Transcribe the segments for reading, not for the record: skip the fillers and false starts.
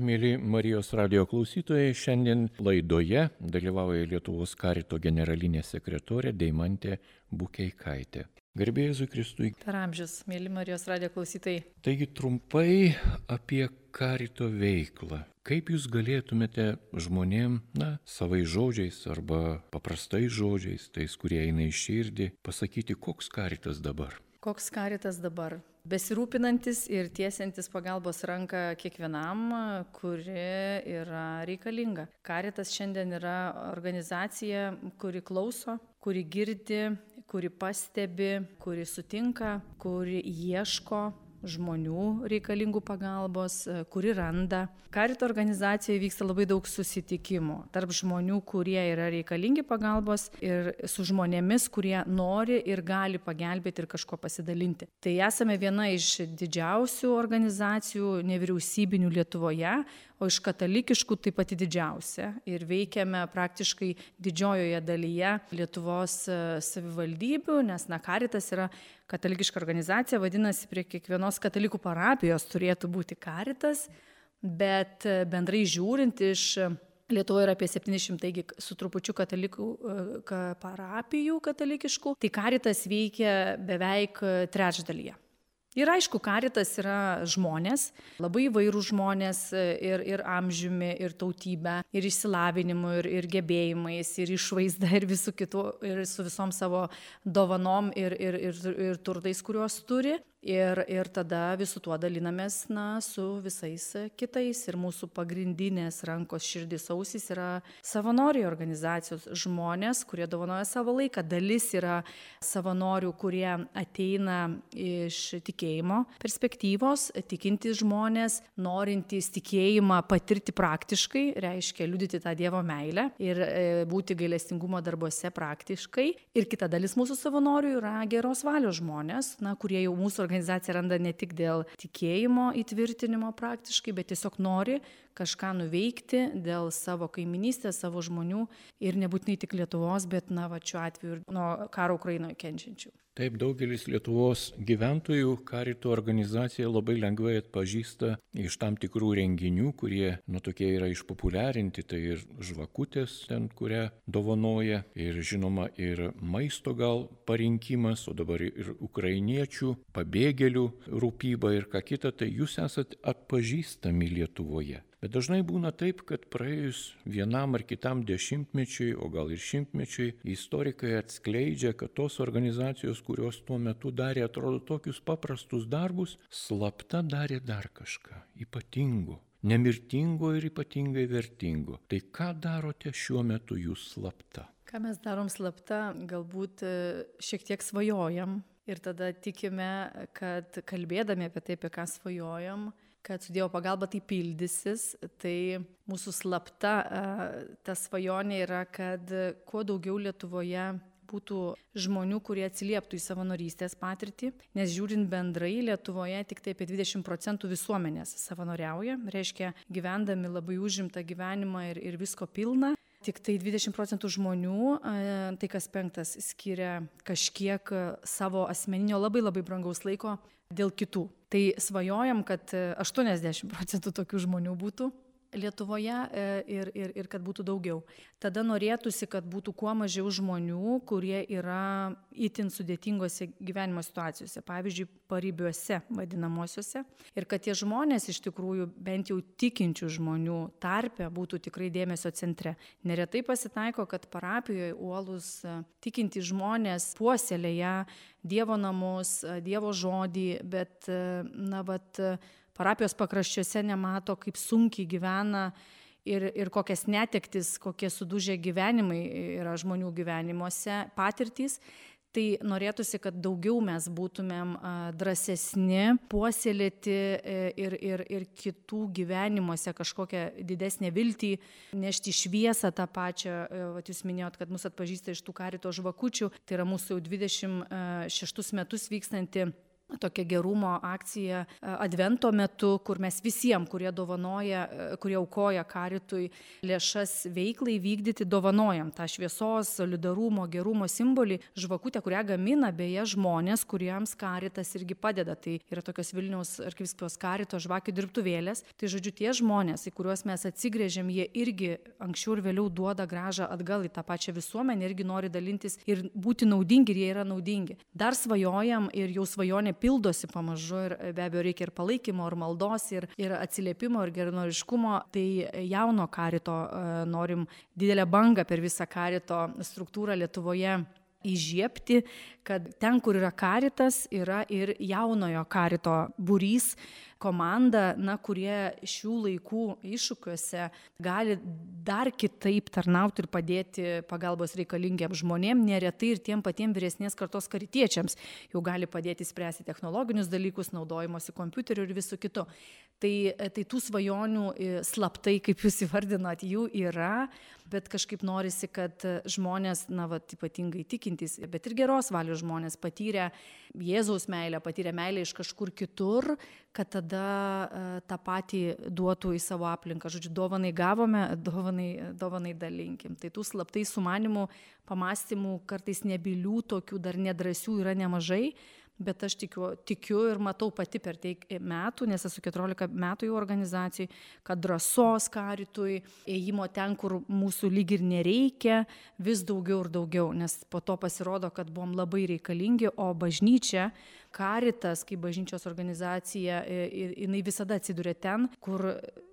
Mėly Marijos radijo klausytojai, šiandien laidoje dalyvauja Lietuvos karito generalinė sekretorė Deimantė Bukeikaitė. Garbė Jėzui Kristui. Per amžius, mėly Marijos radijo klausytojai. Taigi trumpai apie karito veiklą. Kaip jūs galėtumėte žmonėm, savais žodžiais arba paprastais žodžiais, tais, kurie eina į širdį, pasakyti, koks karitas dabar? Koks karitas dabar? Besirūpinantis ir tiesiantis pagalbos ranką kiekvienam, kuri yra reikalinga. Karitas šiandien yra organizacija, kuri klauso, kuri girdi, kuri pastebi, kuri sutinka, kuri ieško žmonių reikalingų pagalbos, kuri randa. Karito organizacijoje vyksta labai daug susitikimų tarp žmonių, kurie yra reikalingi pagalbos ir su žmonėmis, kurie nori ir gali pagelbėti ir kažko pasidalinti. Tai esame viena iš didžiausių organizacijų nevyriausybinių Lietuvoje, o iš katalikiškų taip pat didžiausia. Ir veikiame praktiškai didžiojoje dalyje Lietuvos savivaldybių, nes Karitas yra katalikiška organizacija, vadinasi, prie kiekvienos katalikų parapijos turėtų būti Karitas, bet bendrai žiūrint iš Lietuvoje yra apie 700 su trupučiu katalikų parapijų katalikiškų, tai Karitas veikia beveik trečdalyje. Ir aišku, Karitas yra žmonės, labai įvairūs žmonės ir amžiumi, ir tautybę, ir išsilavinimu, ir gebėjimais, ir išvaizda, ir visų kitų, ir su visom savo dovanom ir turtais, kuriuos turi. Ir tada visų tuo dalinamės su visais kitais. Ir mūsų pagrindinės rankos širdis ausys yra savanoriai organizacijos žmonės, kurie dovanoja savo laiką. Dalis yra savanorių, kurie ateina iš tikėjimo perspektyvos, tikintys žmonės, norintys tikėjimą patirti praktiškai, reiškia liudyti tą Dievo meilę ir būti gailestingumo darbuose praktiškai. Ir kita dalis mūsų savanorių yra geros valios žmonės, kurie jau mūsų organizacija randa ne tik dėl tikėjimo įtvirtinimo praktiškai, bet tiesiog nori kažką nuveikti dėl savo kaiminystės, savo žmonių ir nebūtinai tik Lietuvos, bet šiuo atveju ir nuo karo Ukrainoje kenčiančių. Taip, daugelis Lietuvos gyventojų karito organizaciją labai lengvai atpažįsta iš tam tikrų renginių, kurie tokie yra išpopuliarinti, tai ir žvakutės ten, kurią dovanoja, ir žinoma ir maisto gal parinkimas, o dabar ir ukrainiečių, pabėgėlių rūpyba ir ką kita, tai jūs esat atpažįstami Lietuvoje. Bet dažnai būna taip, kad praėjus vienam ar kitam dešimtmečiui, o gal ir šimtmečiui, istorikai atskleidžia, kad tos organizacijos, kurios tuo metu darė, atrodo, tokius paprastus darbus, slapta darė dar kažką ypatingo, nemirtingo ir ypatingai vertingo. Tai ką darote šiuo metu jūs slapta? Ką mes darom slapta, galbūt šiek tiek svajojam ir tada tikime, kad kalbėdami apie tai, apie ką svajojam, kad su Dievo pagalba tai pildysis, tai mūsų slapta ta svajonė yra, kad kuo daugiau Lietuvoje būtų žmonių, kurie atsilieptų į savanorystės patirtį, nes žiūrint bendrai Lietuvoje tik tai apie 20% visuomenės savanoriauja, reiškia gyvendami labai užimtą gyvenimą ir visko pilna. Tik tai 20% žmonių, tai kas penktas, skiria kažkiek savo asmeninio labai labai brangaus laiko dėl kitų. Tai svajojam, kad 80% tokių žmonių būtų Lietuvoje ir kad būtų daugiau. Tada norėtųsi, kad būtų kuo mažiau žmonių, kurie yra itin sudėtingose gyvenimo situacijose, pavyzdžiui, paribiuose vadinamosiuose. Ir kad tie žmonės iš tikrųjų, bent jau tikinčių žmonių tarpe, būtų tikrai dėmesio centre. Neretai pasitaiko, kad parapijoje uolūs tikintys žmonės puoselėja Dievo namus, Dievo žodį, bet parapijos pakraščiuose nemato, kaip sunkiai gyvena ir kokias netektis, kokie sudužę gyvenimai yra žmonių gyvenimuose, patirtys. Tai norėtųsi, kad daugiau mes būtumėm drąsesni, puoselėti ir kitų gyvenimuose kažkokią didesnę viltį, nešti šviesą tą pačią. Jūs minėjot, kad mus atpažįsta iš tų karito žvakučių. Tai yra mūsų jau 26 metus vykstanti tokia gerumo akcija Advento metu, kur mes visiems, kurie aukoja karitui lėšas veiklai vykdyti, dovanojam tą šviesos, solidarumo, gerumo simbolį, žvakutę, kurią gamina beje žmonės, kuriems karitas irgi padeda. Tai yra tokios Vilniaus arkivyskupijos karito žvakių dirbtuvėlės. Tai žodžiu, tie žmonės, į kuriuos mes atsigręžiam, jie irgi anksčiau ir vėliau duoda grąžą atgal į tą pačią visuomenę, irgi nori dalintis ir būti naudingi, ir jie yra naudingi. Dar svajojam ir jau svajonė pildosi pamažu ir be abejo reikia ir palaikymo, ir maldos, ir atsiliepimo, ir geranoriškumo. Tai jauno karito norim didelę bangą per visą karito struktūrą Lietuvoje įžiebti, kad ten, kur yra karitas, yra ir jaunojo karito būrys, komanda, kurie šių laikų iššūkiuose gali dar kitaip tarnauti ir padėti pagalbos reikalingiems žmonėms, neretai ir tiem patiems vyresnės kartos karitiečiams jau gali padėti spręsti technologinius dalykus, naudojimosi kompiuteriu ir visų kitų. Tai tų svajonių slaptai, kaip jūs įvardinat, jų yra, bet kažkaip norisi, kad žmonės, ypatingai tikintys, bet ir geros valios žmonės patyrę Jėzaus meilę, patyrę meilę iš kažkur kitur, kad tada tą patį duotų į savo aplinką. Žodžiu, dovanai gavome, dovanai dalinkim. Tai tų slaptai sumanimų, pamastymų, kartais nebylių, tokių dar nedrąsių yra nemažai. Bet aš tikiu ir matau pati per tiek metų, nes esu 14 metų jau organizacijai, kad drąsos karitui, ėjimo ten, kur mūsų lyg ir nereikia, vis daugiau ir daugiau, nes po to pasirodo, kad buvom labai reikalingi, o bažnyčia, karitas, kaip bažnyčios organizacija, jinai visada atsiduria ten, kur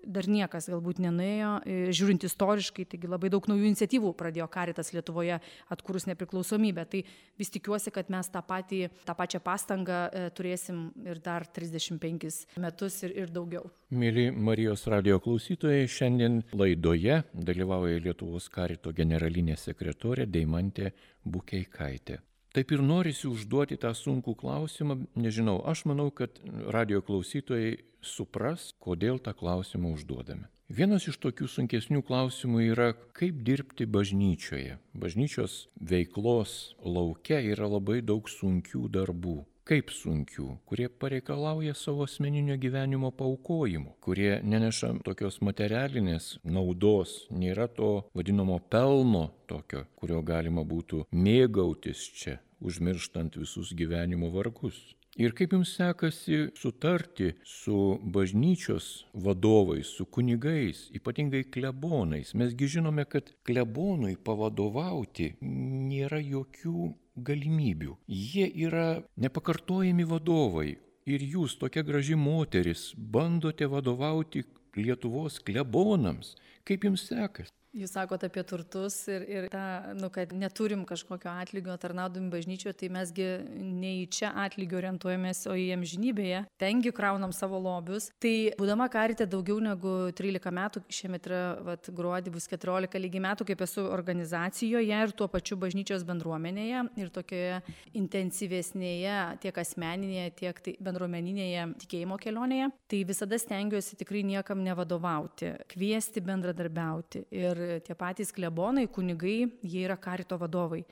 dar niekas galbūt nenuėjo, žiūrint istoriškai, taigi labai daug naujų iniciatyvų pradėjo karitas Lietuvoje atkūrus nepriklausomybę. Tai vis tikiuosi, kad mes tą pačią pastangą turėsim ir dar 35 metus ir daugiau. Mėly Marijos radijo klausytojai, šiandien laidoje dalyvauja Lietuvos karito generalinė sekretorė Deimantė Bukeikaitė. Taip ir norisi užduoti tą sunkų klausimą, nežinau, aš manau, kad radijo klausytojai supras, kodėl tą klausimą užduodame. Vienas iš tokių sunkesnių klausimų yra, kaip dirbti bažnyčioje. Bažnyčios veiklos lauke yra labai daug sunkių darbų. Kaip sunkių, kurie pareikalauja savo asmeninio gyvenimo paaukojimų, kurie neneša tokios materialinės naudos, nėra to vadinamo pelno tokio, kurio galima būtų mėgautis čia, užmirštant visus gyvenimo vargus. Ir kaip jums sekasi sutarti su bažnyčios vadovais, su kunigais, ypatingai klebonais? Mesgi žinome, kad klebonui pavadovauti nėra jokių galimybių. Jie yra nepakartojami vadovai. Ir jūs, tokia graži moteris, bandote vadovauti Lietuvos klebonams. Kaip jums sekasi? Jūs sakote apie turtus ir tą, kad neturim kažkokio atlygio tarnaudami bažnyčioje, tai mesgi ne į čia atlygio orientuojamės, o į amžinybėje. Tengi kraunam savo lobius. Tai būdama karite daugiau negu 13 metų, šiemet yra gruodį bus 14 lygiai metų, kaip esu organizacijoje ir tuo pačiu bažnyčios bendruomenėje ir tokioje intensyvesnėje tiek asmeninėje, tiek bendruomeninėje tikėjimo kelionėje. Tai visada stengiuosi tikrai niekam nevadovauti, kviesti bendradarbiauti. Ir tie patys klebonai, kunigai, jie yra karito vadovai.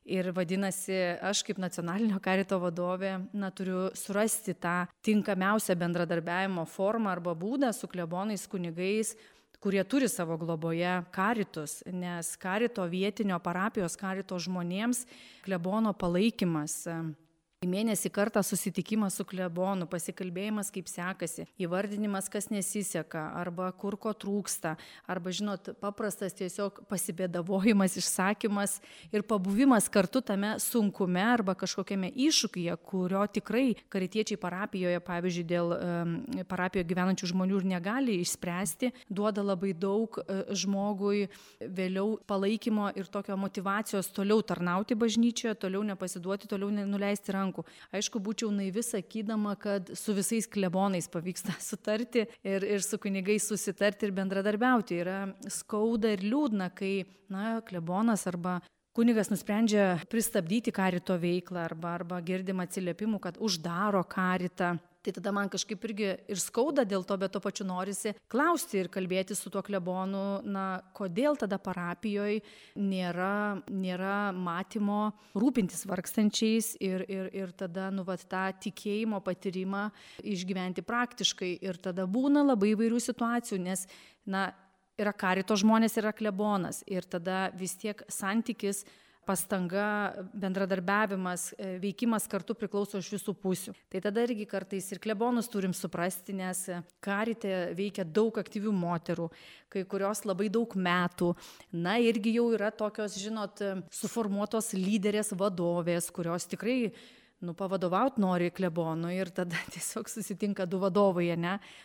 Ir vadinasi, aš kaip nacionalinio karito vadovė, turiu surasti tą tinkamiausią bendradarbiavimo formą arba būdą su klebonais, kunigais, kurie turi savo globoje karitus, nes karito vietinio parapijos karito žmonėms klebono palaikymas. Į mėnesį kartą susitikimas su klebonu, pasikalbėjimas, kaip sekasi, įvardinimas, kas nesiseka, arba kur ko trūksta, arba, paprastas tiesiog pasibėdavojimas, išsakymas ir pabuvimas kartu tame sunkume arba kažkokiame iššūkyje, kurio tikrai karitiečiai parapijoje, pavyzdžiui, dėl parapijoje gyvenančių žmonių ir negali išspręsti, duoda labai daug žmogui vėliau palaikymo ir tokio motyvacijos toliau tarnauti bažnyčioje, toliau nepasiduoti, toliau nenuleisti rankų. Aišku, būčiau naivi sakydama, kad su visais klebonais pavyksta sutarti ir su kunigais susitarti ir bendradarbiauti. Yra skauda ir liūdna, kai klebonas arba kunigas nusprendžia pristabdyti karito veiklą arba girdim atsiliepimų, kad uždaro karitą. Tai tada man kažkaip irgi ir skauda dėl to, bet to pačiu norisi klausti ir kalbėti su tuo klebonu, kodėl tada parapijoje nėra matymo rūpintis vargstančiais ir tada tą tikėjimo patyrimą išgyventi praktiškai. Ir tada būna labai įvairių situacijų, nes yra karito žmonės, yra klebonas ir tada vis tiek santykis, pastanga, bendradarbiavimas, veikimas kartu priklauso iš visų pusių. Tai tada irgi kartais ir klebonus turim suprasti, nes karite veikia daug aktyvių moterų, kai kurios labai daug metų. Irgi jau yra tokios, suformuotos lyderės vadovės, kurios tikrai pavadovauti nori klebonui ir tada tiesiog susitinka du vadovai,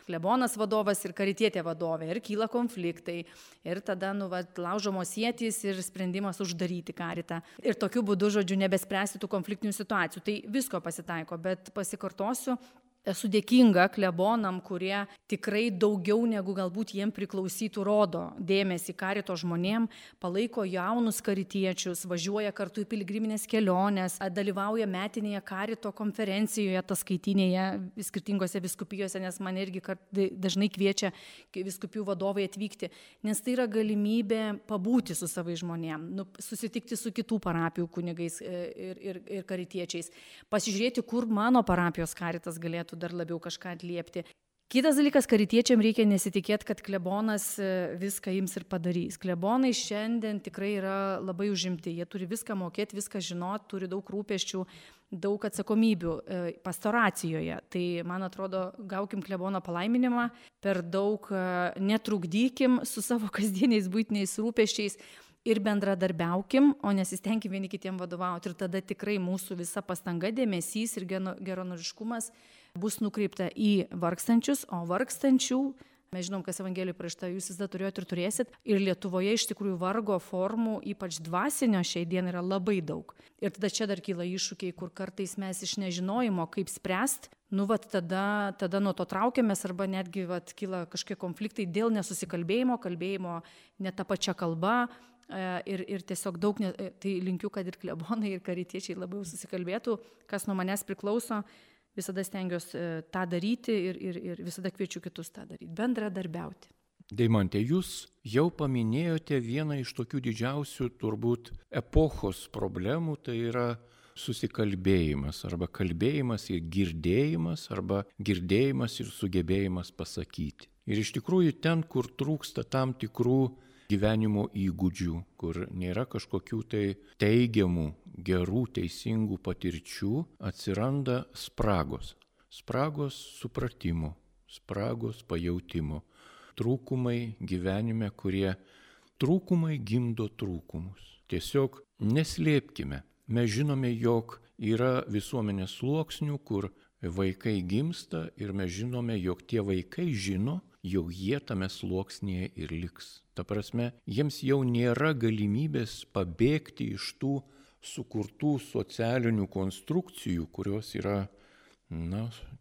klebonas vadovas ir karitietė vadovė ir kyla konfliktai ir tada laužomos ietys ir sprendimas uždaryti karitą. Ir tokiu būdu, nebespręsti tų konfliktinių situacijų. Tai visko pasitaiko, bet pasikartosiu, esu dėkinga klebonam, kurie tikrai daugiau negu galbūt jiem priklausytų rodo dėmesį karito žmonėm, palaiko jaunus karitiečius, važiuoja kartu į piligriminės keliones, dalyvauja metinėje karito konferencijoje, ataskaitinėje skirtingose vyskupijose, nes man irgi dažnai kviečia vyskupijų vadovai atvykti, nes tai yra galimybė pabūti su savais žmonėm, susitikti su kitų parapijų kunigais ir karitiečiais, pasižiūrėti, kur mano parapijos karitas galėtų dar labiau kažką atliepti. Kitas dalykas, karitiečiam reikia nesitikėti, kad klebonas viską ims ir padarys. Klebonai šiandien tikrai yra labai užimti, jie turi viską mokėti, viską žinoti, turi daug rūpesčių, daug atsakomybių pastoracijoje. Tai, man atrodo, gaukim klebono palaiminimą, per daug netrukdykim su savo kasdieniais buitiniais rūpesčiais ir bendradarbiaukim, o nesistengkim vieni kitiem vadovauti. Ir tada tikrai mūsų visa pastanga, dėmesys ir geranoriškumas bus nukreipta į vargstančius, o vargstančių, mes žinom, kas Evangelijoje parašyta, jūs visada turėjote ir turėsit. Ir Lietuvoje iš tikrųjų vargo formų, ypač dvasinio šiai dienai, yra labai daug. Ir tada čia dar kyla iššūkiai, kur kartais mes iš nežinojimo, kaip spręsti, tada nuo to traukiamės arba netgi kyla kažkokie konfliktai dėl nesusikalbėjimo, kalbėjimo ne ta pačia kalba. Ir tiesiog daug, tai linkiu, kad ir klebonai, ir karitiečiai labiau susikalbėtų, kas nuo manęs priklauso, visada stengiuosi tą daryti ir visada kviečiu kitus tą daryti, bendradarbiauti. Deimante, jūs jau paminėjote vieną iš tokių didžiausių turbūt epochos problemų, tai yra susikalbėjimas arba kalbėjimas ir girdėjimas arba girdėjimas ir sugebėjimas pasakyti. Ir iš tikrųjų ten, kur trūksta tam tikrų gyvenimo įgūdžių, kur nėra kažkokių tai teigiamų, gerų, teisingų patirčių, atsiranda spragos. Spragos supratimo, spragos pajautimo, trūkumai gyvenime, kurie trūkumai gimdo trūkumus. Tiesiog neslėpkime. Mes žinome, jog yra visuomenės sluoksnių, kur vaikai gimsta ir mes žinome, jog tie vaikai žino, jog jie tame sluoksnėje ir liks. Ta prasme, jiems jau nėra galimybės pabėgti iš tų sukurtų socialinių konstrukcijų, kurios yra,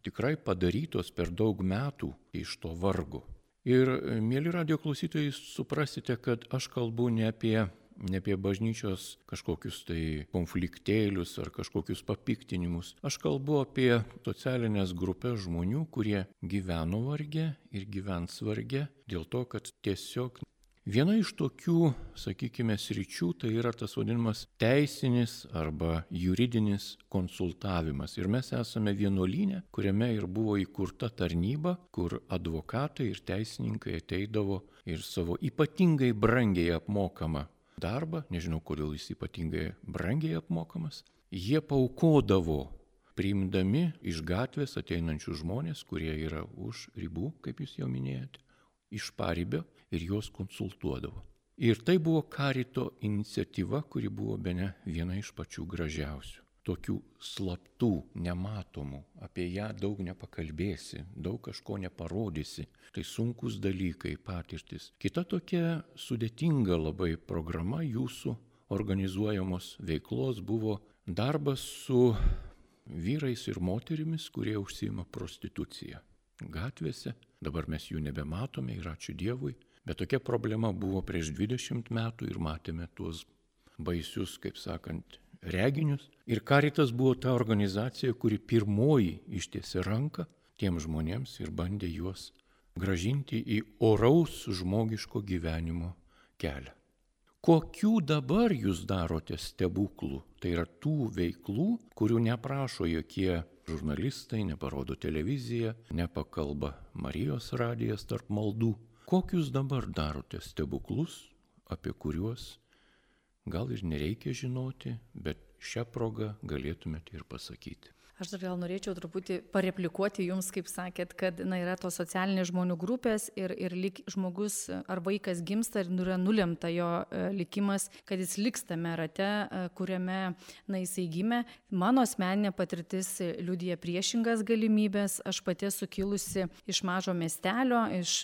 tikrai padarytos per daug metų iš to vargo. Ir, mieli radijo klausytojai, suprasite, kad aš kalbu ne apie bažnyčios kažkokius tai konfliktėlius ar kažkokius papiktinimus. Aš kalbu apie socialinės grupės žmonių, kurie gyveno varge ir gyvens varge, dėl to, kad tiesiog viena iš tokių, sakykime, sričių tai yra tas vadinamas teisinis arba juridinis konsultavimas. Ir mes esame vienuolyne, kuriame ir buvo įkurta tarnyba, kur advokatai ir teisininkai ateidavo ir savo ypatingai brangiai apmokamą darbą, nežinau, kodėl jis ypatingai brangiai apmokamas, jie paukodavo, priimdami iš gatvės ateinančių žmonės, kurie yra už ribų, kaip jūs jau minėjote, iš paribio ir juos konsultuodavo. Ir tai buvo karito iniciatyva, kuri buvo bene viena iš pačių gražiausių. Tokių slaptų, nematomų, apie ją daug nepakalbėsi, daug kažko neparodysi. Tai sunkus dalykai, patirtis. Kita tokia sudėtinga labai programa jūsų organizuojamos veiklos buvo darbas su vyrais ir moterimis, kurie užsiima prostitucija gatvėse. Dabar mes jų nebematome ir ačiū Dievui. Bet tokia problema buvo prieš 20 metų ir matėme tuos baisius, kaip sakant, reginius. Ir Karitas buvo ta organizacija, kuri pirmoji ištiesė ranką tiems žmonėms ir bandė juos grąžinti į oraus žmogiško gyvenimo kelią. Kokių dabar jūs darote stebuklų? Tai yra tų veiklų, kurių neprašo jokie žurnalistai, neparodo televizija, nepakalba Marijos radijas tarp maldų. Kokius dabar darote stebuklus, apie kuriuos gal ir nereikia žinoti, bet šią progą galėtumėte ir pasakyti? Aš dar gal norėčiau truputį pareplikuoti jums, kaip sakėt, kad yra tos socialinės žmonių grupės ir lyg žmogus ar vaikas gimsta ir yra nulemta jo likimas, kad jis liks tame rate, kuriame jisai gimė. Mano asmeninė patirtis liudija priešingas galimybės. Aš pati esu kilusi iš mažo miestelio, iš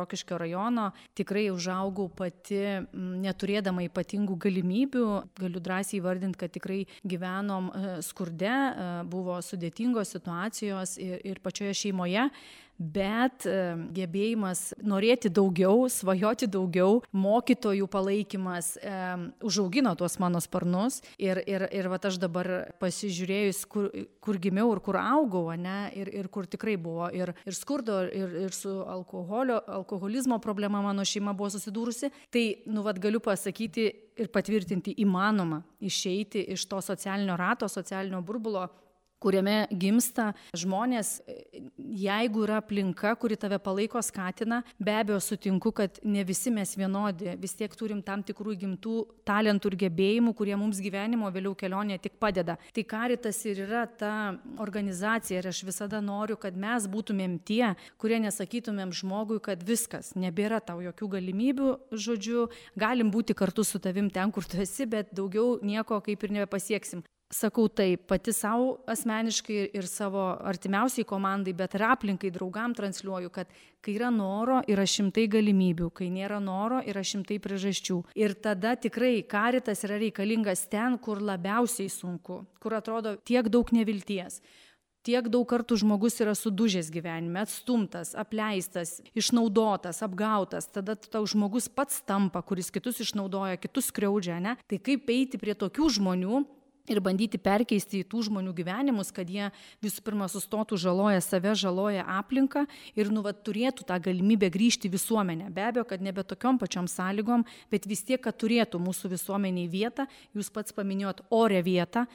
Rokiškio rajono. Tikrai užaugau pati neturėdama ypatingų galimybių. Galiu drąsiai įvardinti, kad tikrai gyvenom skurde, buvo sudėtingos situacijos ir pačioje šeimoje, bet gebėjimas norėti daugiau, svajoti daugiau, mokytojų palaikymas užaugino tuos mano sparnus ir vat aš dabar pasižiūrėjus, kur gimiau ir kur augau, ir kur tikrai buvo ir skurdo, ir su alkoholizmo problema mano šeima buvo susidūrusi, tai vat galiu pasakyti ir patvirtinti, įmanoma išeiti iš to socialinio rato, socialinio burbulo, kuriame gimsta žmonės. Jeigu yra aplinka, kuri tave palaiko, skatina, be abejo sutinku, kad ne visi mes vienodi, vis tiek turim tam tikrų įgimtų talentų ir gebėjimų, kurie mums gyvenimo vėliau kelionėje tik padeda. Tai Caritas ir yra ta organizacija ir aš visada noriu, kad mes būtumėm tie, kurie nesakytumėm žmogui, kad viskas, nebėra tau jokių galimybių, žodžiu, galim būti kartu su tavim ten, kur tu esi, bet daugiau nieko kaip ir nebepasieksim. Sakau taip, pati savo asmeniškai ir savo artimiausiai komandai, bet ir aplinkai, draugam transliuoju, kad kai yra noro, yra šimtai galimybių, kai nėra noro, yra šimtai priežasčių. Ir tada tikrai Caritas yra reikalingas ten, kur labiausiai sunku, kur atrodo tiek daug nevilties. Tiek daug kartų žmogus yra sudužęs gyvenime, atstumtas, apleistas, išnaudotas, apgautas, tada tau žmogus pats tampa, kuris kitus išnaudoja, kitus skriaudžia, ne? Tai kaip eiti prie tokių žmonių ir bandyti perkeisti į tų žmonių gyvenimus, kad jie visų pirma sustotų, žaloja save, žaloja aplinką ir turėtų tą galimybę grįžti į visuomenę. Be abejo, kad nebe tokiom pačiom sąlygom, bet vis tiek, kad turėtų mūsų visuomeniai vietą, jūs pats paminėjot orę vietą.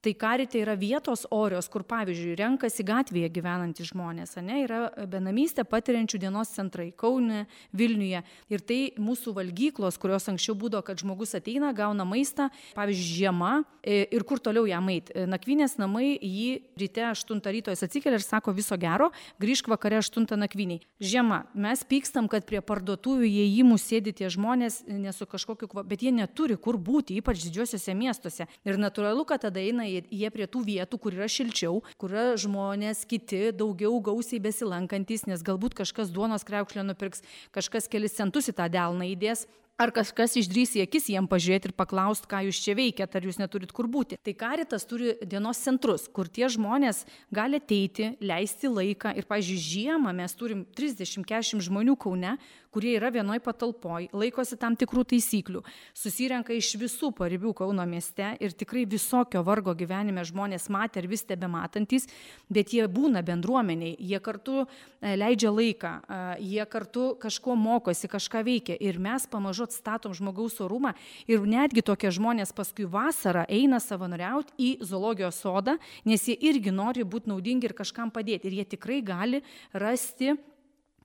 Tai Carite yra vietos orios, kur, pavyzdžiui, renkasi gatvėje gyvenantys žmonės, yra benamystę patiriančių dienos centrai Kaune, Vilniuje. Ir tai mūsų valgyklos, kurios anksčiau būdavo, kad žmogus ateina, gauna maistą, pavyzdžiui, žiema ir kur toliau jam eit. Nakvynės namai jį ryte 8 ryto jis atsikelia ir sako viso gero, grįžk vakare 8 nakvyniai. Žiema, mes pykstam, kad prie parduotuvių įėjimų sėdi tie žmonės, nesu kažkokiu, bet jie neturi kur būti, ypač didžiuosiuose miestuose. Ir natūralu, kad tada eina jie prie tų vietų, kur yra šilčiau, kur yra žmonės kiti, daugiau gausiai besilankantis, nes galbūt kažkas duonos kriaukšlę nupirks, kažkas kelis centus į tą delną įdės. Ar kažkas išdrys į akis jiem pažiūrėti ir paklausti, ką jūs čia veikiat, ar jūs neturit kur būti. Tai Caritas turi dienos centrus, kur tie žmonės gali ateiti, leisti laiką. Ir, pavyzdžiui, žiemą mes turim 30-40 žmonių Kaune, kurie yra vienoj patalpoj, laikosi tam tikrų taisyklių, susirenka iš visų paribių Kauno mieste ir tikrai visokio vargo gyvenime žmonės matė ir vis tebematantys, bet jie būna bendruomeniai, jie kartu leidžia laiką, jie kartu kažko mokosi, kažką veikia ir mes pamažu atstatom žmogaus orumą ir netgi tokie žmonės paskui vasarą eina savanoriauti į zoologijos sodą, nes jie irgi nori būti naudingi ir kažkam padėti ir jie tikrai gali rasti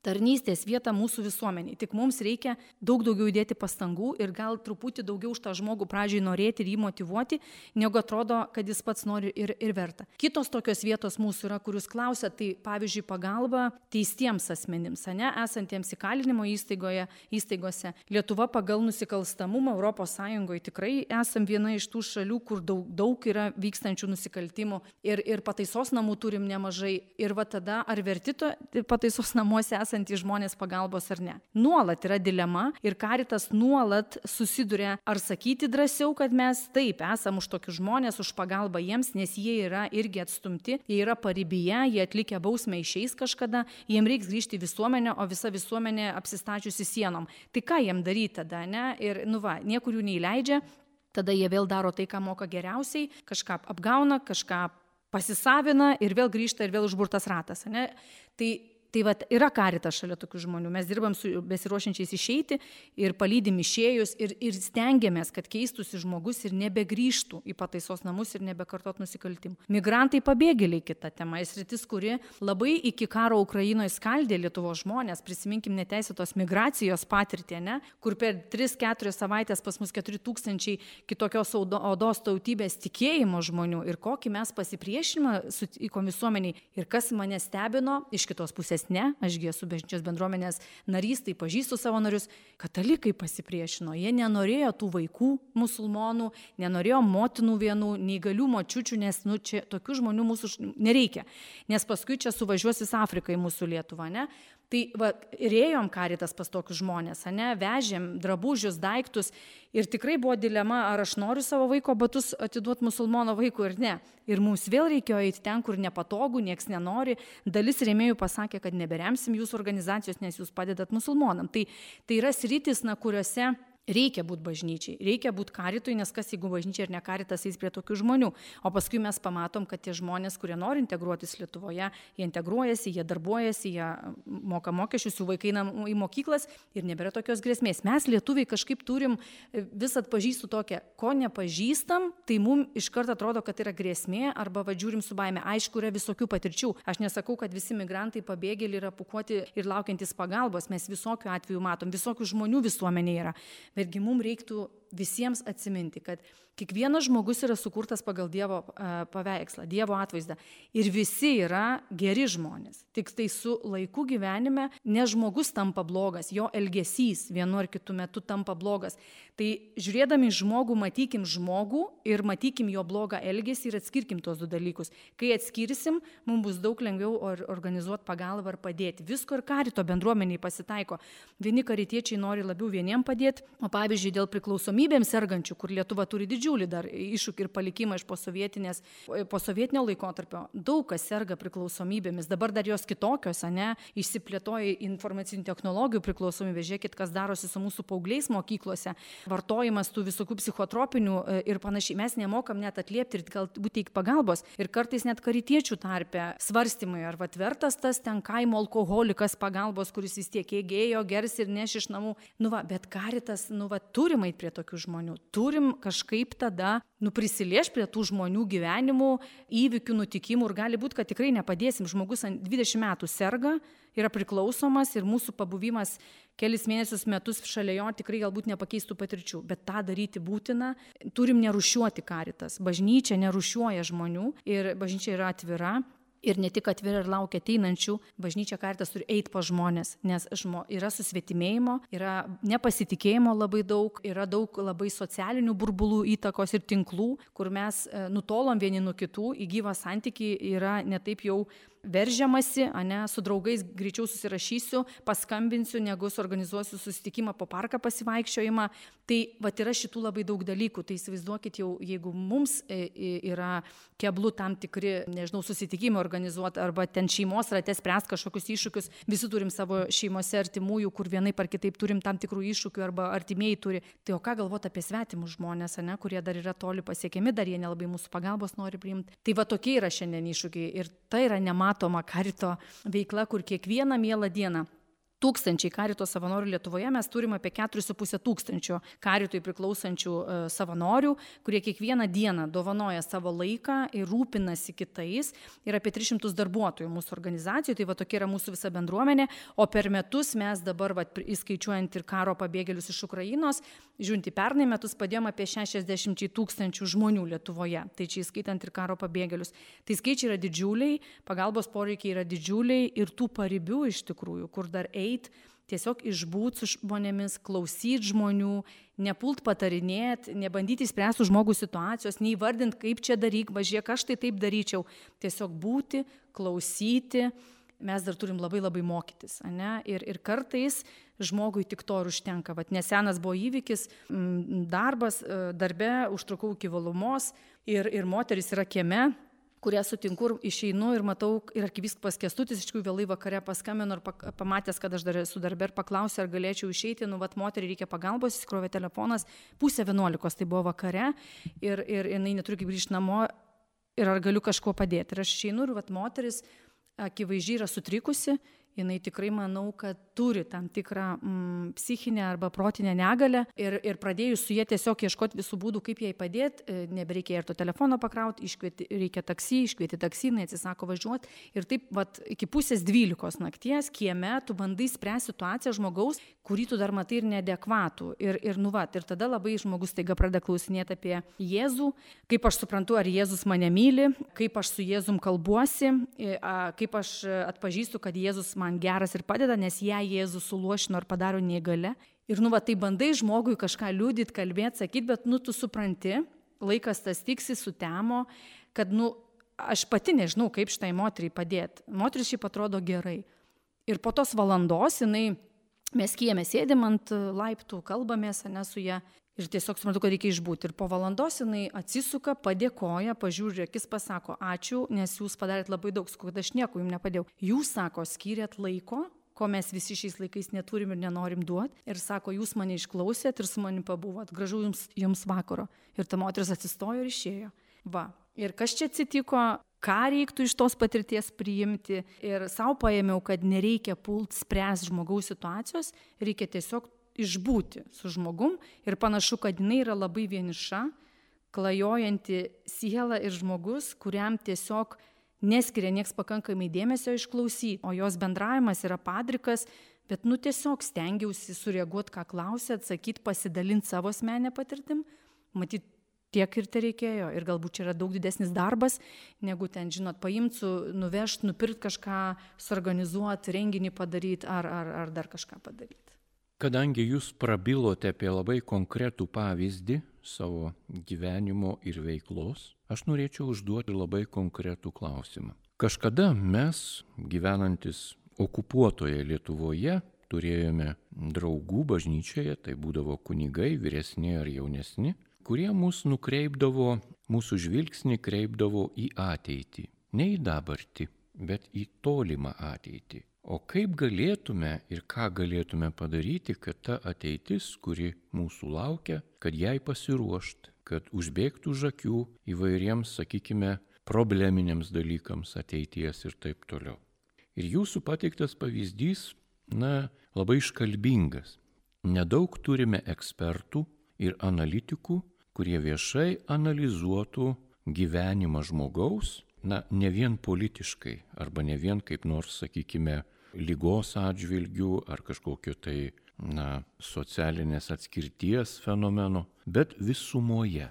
tarnystės vietą mūsų visuomeniai. Tik mums reikia daug daugiau įdėti pastangų ir gal truputį daugiau už tą žmogų pradžiai norėti ir jį motyvuoti, negu atrodo, kad jis pats nori ir verta. Kitos tokios vietos mūsų yra, kur jūs klausėte, tai pavyzdžiui pagalba teistiems asmenims, esantiems įkalinimo įstaigose. Lietuva pagal nusikalstamumą ES tikrai esam viena iš tų šalių, kur daug yra vykstančių nusikaltimų ir pataisos namų turim nemažai. Ir va tada ar verti pataisos namuose esantys žmonės pagalbos ar ne. Nuolat yra dilema ir Caritas nuolat susiduria ar sakyti drąsiau, kad mes taip esam už tokius žmonės, už pagalbą jiems, nes jie yra irgi atstumti, jie yra paribyje, jie atlikę bausmę išeis kažkada, jiems reiks grįžti į visuomenę, o visa visuomenė apsistačiusi sienom. Tai ką jiems daryti tada, ne? Ir niekur jų neįleidžia, tada jie vėl daro tai, ką moka geriausiai, kažką apgauna, kažką pasisavina ir vėl grįžta ir vėl užburtas ratas. Ne? Tai vat, yra Caritas šalia tokių žmonių. Mes dirbam su besiruošiančiais išeiti ir palydim išėjus ir stengiamės, kad keistųsi žmogus ir nebegrįžtų į pataisos namus ir nebekartot nusikaltimų. Migrantai pabėgėliai kita tema, sritis, kuri labai iki karo Ukrainoje skaldė Lietuvos žmonės. Prisiminkim neteisėtos migracijos patirtį, ne? Kur per 3-4 savaitės pas mus 4000 kitokios odos tautybės tikėjimo žmonių ir kokį mes pasipriešinimą sutikom visuomeniai. Ir kas mane stebino iš kitos pusės. Ne, ašgi esu bažnyčios bendruomenės narys, tai pažįstu savo narius, katalikai pasipriešino, jie nenorėjo tų vaikų musulmonų, nenorėjo motinų vienų, neįgalių močiučių, nes čia tokių žmonių mūsų nereikia, nes paskui čia suvažiuos visą Afriką į mūsų Lietuvą, ne? Tai ir ėjom Caritas pas tokius žmonės, ne? Vežėm drabužius, daiktus ir tikrai buvo dilema, ar aš noriu savo vaiko batus atiduoti musulmono vaikui ir ne. Ir mums vėl reikėjo eiti ten, kur nepatogu, nieks nenori. Dalis rėmėjų pasakė, kad neberemsim jūsų organizacijos, nes jūs padedat musulmonam. Tai yra sritis, kuriuose reikia būti bažnyčiai, reikia būti Caritui, nes kas jeigu bažnyčia ir ne Caritas eis prie tokių žmonių. O paskui mes pamatom, kad tie žmonės, kurie nori integruotis Lietuvoje, jie integruojasi, jie darbuojasi, jie moka mokesčius, jų vaikai į mokyklas ir nebėra tokios grėsmės. Mes lietuviai kažkaip turim vis atpažįstų tokią, ko nepažįstam, tai mums iš karto atrodo, kad yra grėsmė arba žiūrim su baime. Aišku, yra visokių patirčių. Aš nesakau, kad visi migrantai pabėgėliai yra pūkuoti ir laukiantis pagalbos. Mes visokių atvejų matom, visokių žmonių visuomenėje yra. Betgi mums reiktų visiems atsiminti, kad kiekvienas žmogus yra sukurtas pagal Dievo paveikslą, Dievo atvaizdą. Ir visi yra geri žmonės. Tik tai su laiku gyvenime ne žmogus tampa blogas, jo elgesys vienu ar kitu metu tampa blogas. Tai žiūrėdami žmogų, matykim žmogų ir matykim jo blogą elgesį ir atskirkim tos du dalykus. Kai atskirsim, mums bus daug lengviau organizuoti pagalbą ar padėti. Visko ir Carito bendruomeniai pasitaiko. Vieni karitiečiai nori labiau vieniem padėti, o pavyzdžiui dėl priklausomybėms sergančių, kur Lietuva turi didžiulį dar iššūkį ir palikimą iš posovietinio laikotarpio. Daug kas serga priklausomybėmis, dabar dar jos kitokios, ne? Išsiplėtoja informacinių technologijų priklausomybė. Žiūrėkit, kas darosi su mūsų paaugliais mokyklose, vartojimas tų visokių psichotropinių ir panašiai. Mes nemokam net atliepti ir galbūt teikti pagalbos. Ir kartais net karitiečių tarpe svarstymai, ar vertas tas ten kaimo alkoholikas pagalbos, kuris vis tiek ėjo, gers ir neš iš namų. Bet Caritas, turim eit prie tokių žmonių. Turim kažkaip tada prisilieš prie tų žmonių gyvenimų, įvykių, nutikimų ir gali būti, kad tikrai nepadėsim. Žmogus 20 metų serga, yra priklausomas ir mūsų pabuvimas kelis mėnesius, metus šalia jo tikrai galbūt nepakeistų patirčių, bet tą daryti būtina. Turim nerūšiuoti Caritas. Bažnyčia nerūšiuoja žmonių ir bažnyčia yra atvira. Ir ne tik atvira ir laukia ateinančių, bažnyčia Caritas turi eiti po žmonės, nes yra susvetimėjimo, yra nepasitikėjimo labai daug, yra daug labai socialinių burbulų įtakos ir tinklų, kur mes nutolom vieni nuo kitų, į gyvą santykį yra netaip jau veržiamasi, su draugais greičiau susirašysiu, paskambinsiu, negu suorganizuosiu susitikimą po parką pasivaikščiojimą. Tai yra šitų labai daug dalykų. Tai įsivaizduokit jau, jeigu mums yra keblu tam tikri, susitikimai organizuoti arba ten šeimos rate spręsti kažkokius iššūkius, visi turim savo šeimose artimųjų, kur vienaip ar kitaip turim tam tikrų iššūkių arba artimieji turi. Tai o ką galvoti apie svetimus žmonės, kurie dar yra toli pasiekiami, dar jie nelabai mūsų pagalbos nori priimti. Tai tokie yra šiandien iššūkiai ir tai yra nematoma Carito veikla, kur kiekvieną mielą dieną tūkstančiai Carito savanorių Lietuvoje, mes turime apie 4,5 tūkstančio Caritui priklausančių savanorių, kurie kiekvieną dieną dovanoja savo laiką ir rūpinasi kitais. Ir apie 300 darbuotojų mūsų organizacijų, tai tokia yra mūsų visa bendruomenė. O per metus mes dabar, įskaičiuojant ir karo pabėgėlius iš Ukrainos, žiūrint į pernai metus, padėjom apie 60 000 žmonių Lietuvoje. Tai čia įskaitant ir karo pabėgėlius. Tai skaičiai yra didžiuliai, pagalbos poreikiai yra didžiuliai ir tų paribių iš tikrųjų, kur dar tiesiog išbūt su žmonėmis, klausyti žmonių, nepult patarinėti, nebandyti spręsti žmogų situacijos, neįvardinti, kaip čia daryk, važiuok, aš tai taip daryčiau. Tiesiog būti, klausyti, mes dar turim labai labai mokytis. Ir kartais žmogui tik to ir užtenka. Nesenas buvo įvykis, darbas, darbe, užtrukau iki vėlumos ir moteris yra kieme, kurią sutinku ir išeinu ir matau, ir arkivyskupas Kęstutis iš tikrųjų vėlai vakare paskambino ir pamatęs, kad aš dar esu darbe ir paklausė, ar galėčiau išeiti, moteriai reikia pagalbos, įsikrovė telefonas, 10:30, tai buvo vakare ir jinai neturi kaip grįžti namo. ir ar galiu kažkuo padėti. Ir aš išeinu ir moteris akivaizdžiai yra sutrikusi, jinai tikrai manau, kad turi tam tikrą psichinę arba protinę negalę ir pradėjus su jie tiesiog ieškoti visų būdų, kaip jai padėti, nebereikia ir to telefono pakrauti, reikia iškvieti taksi, jinai atsisako važiuoti ir taip iki 11:30 nakties kieme tu bandai spręsti situaciją žmogaus, kurį tu dar matai ir neadekvatų. Ir tada labai žmogus taiga pradeda klausinėti apie Jėzų, kaip aš suprantu, ar Jėzus mane myli, kaip aš su Jėzum kalbuosi, kaip aš atpažįstu, kad Jėzus man geras ir padeda, nes ją Jėzus suluošino ir padaro neįgalia. Ir tai bandai žmogui kažką liudyti, kalbėti, sakyti, bet tu supranti, laikas tas tiksi, sutemo, kad aš pati nežinau, kaip šitai moteriai padėti. Moteris šiaip atrodo gerai. Ir po tos valandos mes kieme sėdim ant laiptų, kalbamės su ją ir tiesiog suprantu, kad reikia išbūti. Ir po valandos jinai atsisuka, padėkoja, pažiūri akis, pasako ačiū, nes jūs padarėt labai daug, kad aš nieko jums nepadėjau. Jūs, sako, skyrėt laiko, ko mes visi šiais laikais neturim ir nenorim duoti. Ir sako, jūs mane išklausėt ir su manim pabuvot. Gražu jums vakaro. Ir ta moteris atsistojo ir išėjo. Ir kas čia atsitiko, ką reiktų iš tos patirties priimti. Ir savo paėmiau, kad nereikia pult spręs žmogaus situacijos, reikia tiesiog išbūti su žmogum ir panašu, kad jinai yra labai vieniša, klajojanti siela ir žmogus, kuriam tiesiog neskiria nieks pakankamai dėmesio išklausyti, o jos bendravimas yra padrikas, bet tiesiog stengiausi sureaguoti, ką klausė, atsakyti, pasidalinti savo asmenę patirtim, matyt, tiek ir tai reikėjo. Ir galbūt čia yra daug didesnis darbas, negu ten, paimti, nuvežti, nupirkti kažką, suorganizuoti, renginį padaryti ar dar kažką padaryti. Kadangi jūs prabilote apie labai konkretų pavyzdį savo gyvenimo ir veiklos, aš norėčiau užduoti labai konkretų klausimą. Kažkada mes, gyvenantis okupuotoje Lietuvoje, turėjome draugų bažnyčioje, tai būdavo kunigai, vyresni ar jaunesni, kurie mūsų žvilgsnį kreipdavo į ateitį. Ne į dabartį, bet į tolimą ateitį. O kaip galėtume ir ką galėtume padaryti, kad ta ateitis, kuri mūsų laukia, kad jai pasiruošt, kad užbėgtų už akių įvairiems, sakykime, probleminiams dalykams ateities ir taip toliau. Ir jūsų pateiktas pavyzdys, labai iškalbingas. Nedaug turime ekspertų ir analitikų, kurie viešai analizuotų gyvenimą žmogaus, ne vien politiškai, arba ne vien kaip nors, sakykime, lygos atžvilgių ar kažkokio tai, socialinės atskirties fenomeno, bet visumoje.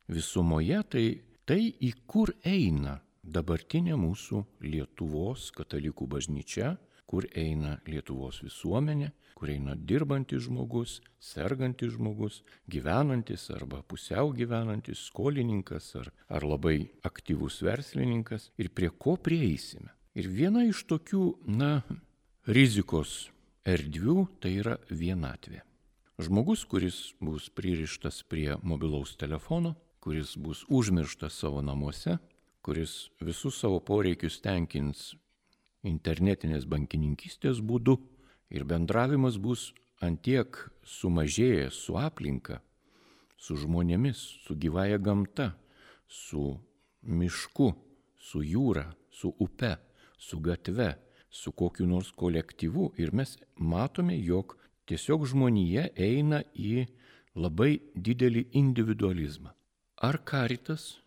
Visumoje tai į kur eina dabartinė mūsų Lietuvos katalikų bažnyčia, kur eina Lietuvos visuomenė, kur eina dirbantis žmogus, sergantis žmogus, gyvenantis arba pusiau gyvenantis, skolininkas ar labai aktyvus verslininkas ir prie ko prieisime. Ir viena iš tokių, rizikos erdvių tai yra vienatvė. Žmogus, kuris bus pririštas prie mobilaus telefono, kuris bus užmirštas savo namuose, kuris visus savo poreikius tenkins internetinės bankininkystės būdu ir bendravimas bus antiek sumažėjęs su aplinka, su žmonėmis, su gyvaja gamta, su mišku, su jūra, su upe, su gatve, su kokiu nors kolektyvu ir mes matome, jog tiesiog žmonija eina į labai didelį individualizmą. Ar Caritas,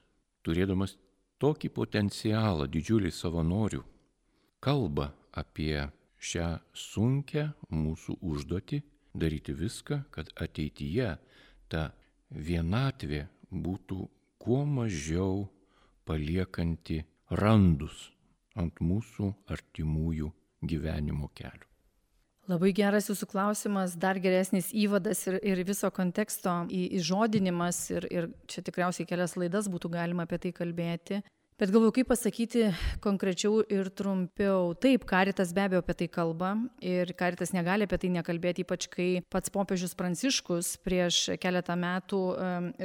turėdamas tokį potencialą didžiulį savanorių, kalba apie šią sunkią mūsų užduotį daryti viską, kad ateityje ta vienatvė būtų kuo mažiau paliekanti randus ant mūsų artimųjų gyvenimo kelių. Labai geras jūsų klausimas, dar geresnis įvadas ir viso konteksto įžodinimas ir čia tikriausiai kelias laidas būtų galima apie tai kalbėti. Bet galvoju, kaip pasakyti konkrečiau ir trumpiau. Taip, Caritas be abejo apie tai kalba ir Caritas negali apie tai nekalbėti, ypač kai pats popiežius Pranciškus prieš keletą metų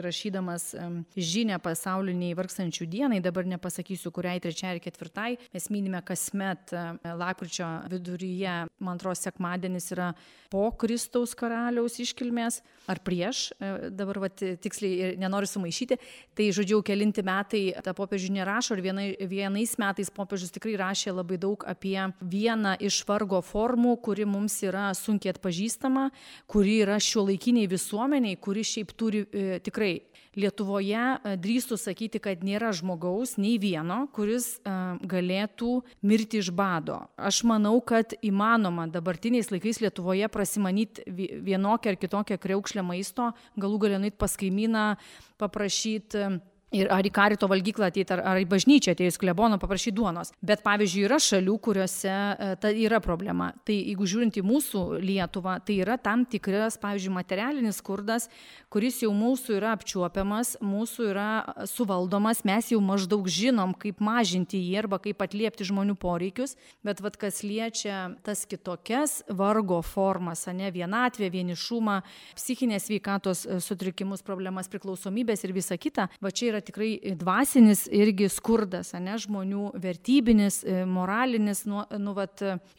rašydamas žinią pasauliniai vargstančių dienai, dabar nepasakysiu, kuriai 3 ar 4, mes minime kasmet lapkričio viduryje, man atrodo, sekmadienis yra po Kristaus karaliaus iškilmės ar prieš, dabar tiksliai nenoriu sumaišyti, tai žodžiu, kelinti metai ta popiežių nerašo ir vienais metais popiežius tikrai rašė labai daug apie vieną iš vargo formų, kuri mums yra sunkiai atpažįstama, kuri yra šiuolaikiniai visuomeniai, kuri šiaip turi tikrai Lietuvoje drįstų sakyti, kad nėra žmogaus, nei vieno, kuris galėtų mirti iš bado. Aš manau, kad įmanoma dabartiniais laikais Lietuvoje prasimanyti vienokią ar kitokią kriaukšlę maisto, galų gale nueit pas kaimyną, paprašyti ir ar į karito valgyklą ateiti, ar į bažnyčią atėjus klebono paprašyti duonos. Bet pavyzdžiui, yra šalių, kuriuose ta yra problema. Tai jeigu žiūrint į mūsų Lietuvą, tai yra tam tikras, pavyzdžiui, materialinis skurdas, kuris jau mūsų yra apčiuopiamas, mūsų yra suvaldomas, mes jau maždaug žinom, kaip mažinti jį arba kaip atliepti žmonių poreikius, bet kas liečia tas kitokias vargo formas, vienatvė, vienišumą, psichinės sveikatos sutrikimus, problemas, priklausomybės ir visa kita, čia yra tikrai dvasinis irgi skurdas, žmonių vertybinis, moralinis,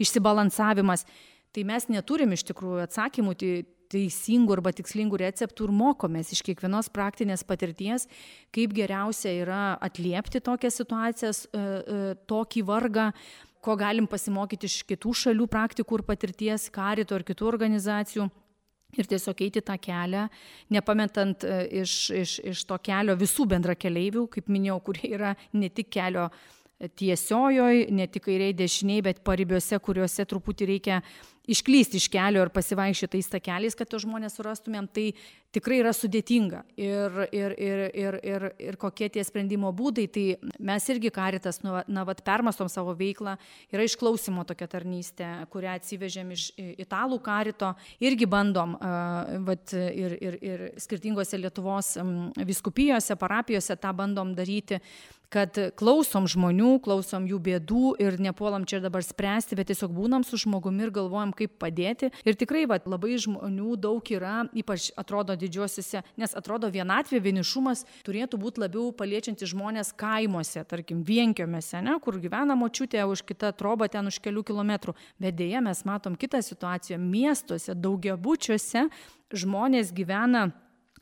išsibalansavimas. Tai mes neturim iš tikrųjų atsakymų teisingų arba tikslingų receptų ir mokomės iš kiekvienos praktinės patirties, kaip geriausia yra atliepti tokias situacijas, tokį vargą, ko galim pasimokyti iš kitų šalių praktikų ir patirties, Carito ir kitų organizacijų. Ir tiesiog eiti tą kelią, nepametant iš to kelio visų bendrakeleivių, kaip minėjau, kurie yra ne tik kelio tiesiojoj, ne tik kairiai dešiniai, bet paribiuose, kuriuose truputį reikia išklysti iš kelio ir pasivaikščioti tais takeliais, kad to žmonės surastumėm, tai tikrai yra sudėtinga. Ir kokie tie sprendimo būdai, tai mes irgi Caritas, permastom savo veiklą, yra išklausimo tokia tarnystė, kurią atsivežėm iš italų Carito, irgi bandom ir skirtingose Lietuvos vyskupijose, parapijose tą bandom daryti, kad klausom žmonių, klausom jų bėdų ir nepuolam čia dabar spręsti, bet tiesiog būnam su žmogumi ir galvojam, kaip padėti. Ir tikrai labai žmonių daug yra, ypač atrodo didžiuosiuose, nes atrodo vienatvė, vienišumas turėtų būti labiau paliečianti žmonės kaimuose, tarkim, vienkiomėse, kur gyvena močiutė, už kitą trobą ten už kelių kilometrų. Bet dėja mes matom kitą situaciją. Miestuose, daugiabučiuose žmonės gyvena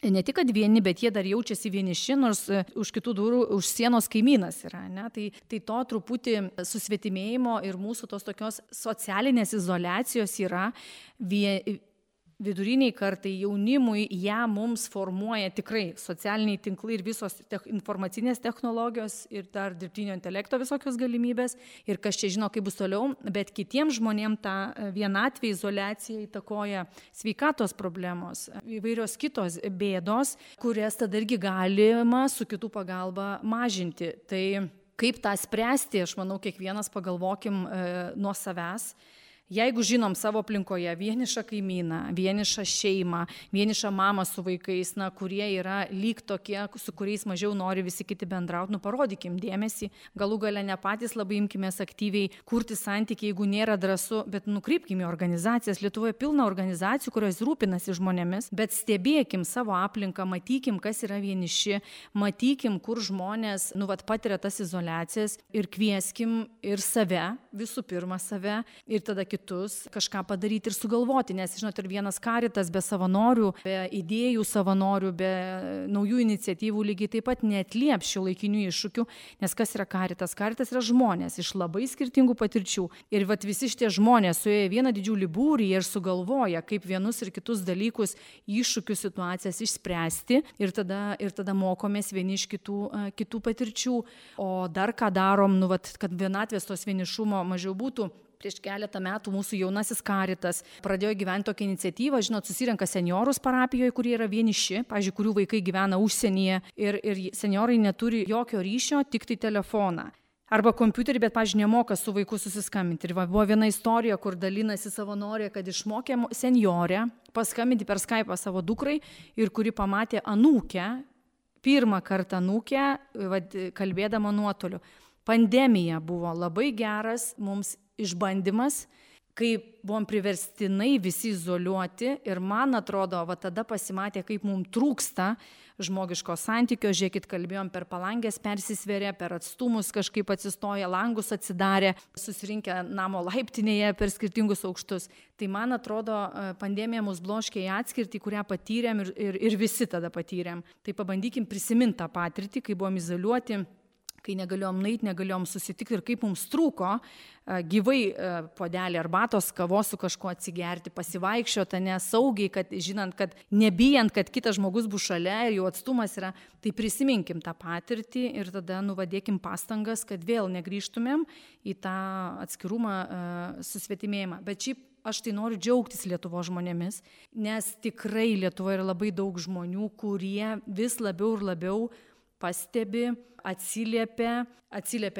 ne tik kad vieni, bet jie dar jaučiasi vieniši, nors už kitų durų, už sienos kaimynas yra. Tai to truputį susvetimėjimo ir mūsų tos tokios socialinės izoliacijos yra. Viduriniai kartai, jaunimui, ją mums formuoja tikrai socialiniai tinklai ir visos informacinės technologijos ir dar dirbtinio intelekto visokios galimybės. Ir kas čia žino, kaip bus toliau, bet kitiems žmonėms tą vienatvę, izoliaciją įtakoja sveikatos problemos, įvairios kitos bėdos, kurias tada irgi galima su kitų pagalba mažinti. Tai kaip tą spręsti, aš manau, kiekvienas pagalvokim nuo savęs. Jeigu žinom savo aplinkoje vienišą kaimyną, vienišą šeimą, vienišą mamą su vaikais, kurie yra lyg tokie, su kuriais mažiau nori visi kiti bendrauti, parodykim dėmesį, galų gale ne patys labai imkimės aktyviai kurti santykį, jeigu nėra drąsu, bet nukreipkim į organizacijas. Lietuvoje pilna organizacijų, kurios rūpinasi žmonėmis, bet stebėkim savo aplinką, matykim, kas yra vieniši, matykim, kur žmonės patiria tas izoliacijas ir kvieskim ir save, visų pirma save, ir tada kitus kažką padaryti ir sugalvoti, nes, žinot, ir vienas Caritas be savanorių, be idėjų savanorių, be naujų iniciatyvų lygiai taip pat neatlieps šiuolaikinių iššūkių, nes kas yra Caritas? Caritas yra žmonės iš labai skirtingų patirčių. Ir visi šitie žmonės suėję vieną didžiulį būrį ir sugalvoja, kaip vienus ir kitus dalykus, iššūkių situacijas išspręsti ir tada mokomės vieni iš kitų patirčių. O dar ką darom, kad vienatvės tos vienišumo mažiau būtų. Prieš keletą metų mūsų jaunasis Caritas pradėjo gyventi tokią iniciatyvą, susirenka seniorus parapijoje, kurie yra vieniši, pavyzdžiui, kurių vaikai gyvena užsienyje ir seniorai neturi jokio ryšio, tik tai telefoną. Arba kompiuterį, bet, pavyzdžiui, nemoka su vaiku susiskambinti. Ir buvo viena istorija, kur dalinasi savanorė, kad išmokė senjorę paskambinti per Skype'ą savo dukrai ir kuri pamatė anūkę pirmą kartą anūkę, kalbėdama nuotoliu. Pandemija buvo labai geras mums išbandymas, kai buvom priverstinai visi izoliuoti ir man atrodo, tada pasimatė, kaip mums trūksta žmogiško santykio. Žiūrėkit, kalbėjom per palangės persisvėrė, per atstumus kažkaip atsistoja, langus atsidarė, susirinkę namo laiptinėje per skirtingus aukštus. Tai man atrodo, pandemija mus bloškė į atskirtį, kurią patyrėm ir visi tada patyrėm. Tai pabandykim prisiminti tą patirtį, kai buvom izoliuoti, kai negalėjom nueiti, negalėjom susitikti ir kaip mums trūko gyvai puodelį arbatos, kavos su kažkuo atsigerti, pasivaikščioti, nesaugiai, kad žinant, kad nebijant, kad kitas žmogus bus šalia ir jau atstumas yra, tai prisiminkim tą patirtį ir tada nuvadėkim pastangas, kad vėl negrįžtumėm į tą atskirumą, susvetimėjimą. Bet šiaip aš tai noriu džiaugtis Lietuvos žmonėmis, nes tikrai Lietuvoje yra labai daug žmonių, kurie vis labiau ir labiau pastebi, atsiliepia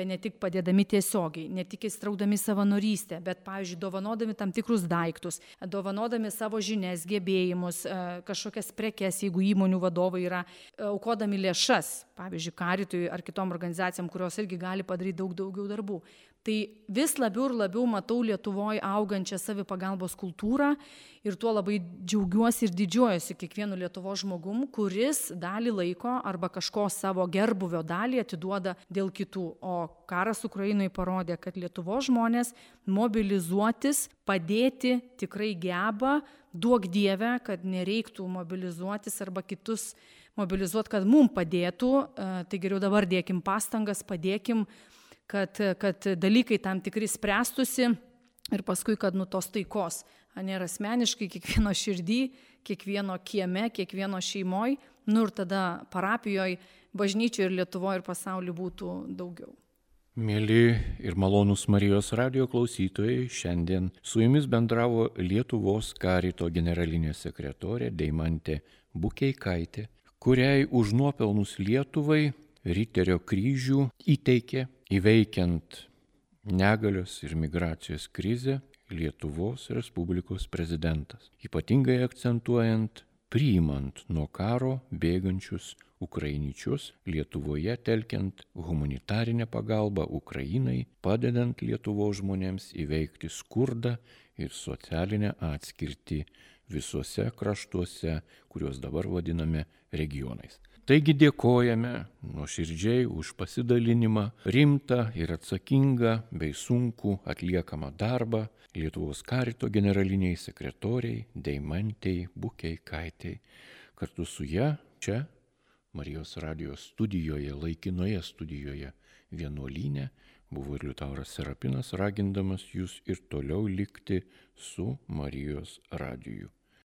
ne tik padėdami tiesiogiai, ne tik įstraudami savanorystę, bet, pavyzdžiui, dovanodami tam tikrus daiktus, dovanodami savo žinias, gebėjimus, kažkokias prekes, jeigu įmonių vadovai yra, aukodami lėšas, pavyzdžiui, Karitui ar kitom organizacijom, kurios irgi gali padaryti daug daugiau darbų. Tai vis labiau ir labiau matau Lietuvoje augančią savipagalbos kultūrą ir tuo labai džiaugiuosi ir didžiuojuosi kiekvienu Lietuvos žmogum, kuris dalį laiko arba kažko savo gerbuvio dalį atiduoda dėl kitų. O karas Ukrainoje parodė, kad Lietuvos žmonės mobilizuotis, padėti tikrai geba, duok Dieve, kad nereiktų mobilizuotis arba kitus mobilizuoti, kad mums padėtų. Tai geriau dabar dėkim pastangas, padėkim, kad dalykai tam tikri spręstusi ir paskui, kad tos taikos, ir asmeniškai kiekvieno širdį, kiekvieno kieme, kiekvieno šeimoj, ir tada parapijoje, bažnyčioje ir Lietuvoje ir pasaulyje būtų daugiau. Mėly ir malonūs Marijos radijo klausytojai, šiandien su jumis bendravo Lietuvos Karito generalinė sekretorė Deimantė Bukeikaitė, kuriai už nuopelnus Lietuvai Riterio kryžių įteikė įveikiant negalios ir migracijos krizę Lietuvos Respublikos prezidentas, ypatingai akcentuojant priimant nuo karo bėgančius ukrainiečius Lietuvoje, telkiant humanitarinę pagalbą Ukrainai, padedant Lietuvos žmonėms įveikti skurdą ir socialinę atskirtį visuose kraštuose, kuriuos dabar vadiname regionais. Taigi dėkojame nuoširdžiai už pasidalinimą, rimtą ir atsakingą bei sunkų atliekamą darbą Lietuvos Karito generaliniai sekretoriai Deimantei Bukeikaitei. Kartu su ja čia Marijos radijos studijoje, laikinoje studijoje vienuolyne buvo ir Liutauras Serapinas, ragindamas jūs ir toliau likti su Marijos radiju.